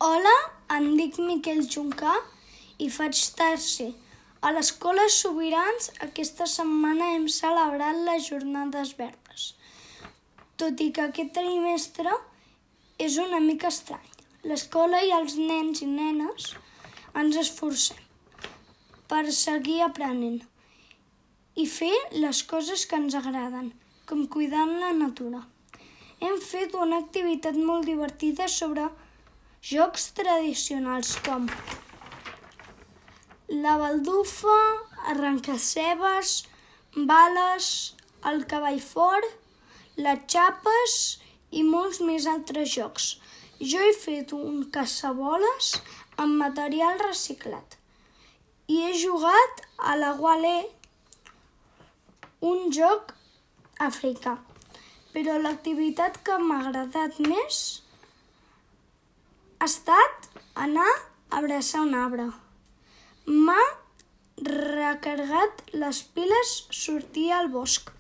Hola, em dic Miquel Juncà i faig tercer. A l'Escola Sobirans aquesta setmana hem celebrat les Jornades Verdes. Tot i que aquest trimestre és una mica estrany. L'escola i els nens i nenes ens esforcem per seguir aprenent i fer les coses que ens agraden, com cuidar la natura. Hem fet una activitat molt divertida sobre jocs tradicionals com la baldufa, arrencar-cebes, bales, el cavall fort, les xapes i molts més altres jocs. Jo he fet un caçaboles amb material reciclat i he jugat a la Gualé, un joc africà. Però l'activitat que m'ha agradat més ha estat anar a abraçar un arbre. M'ha recarregat les piles sortir al bosc.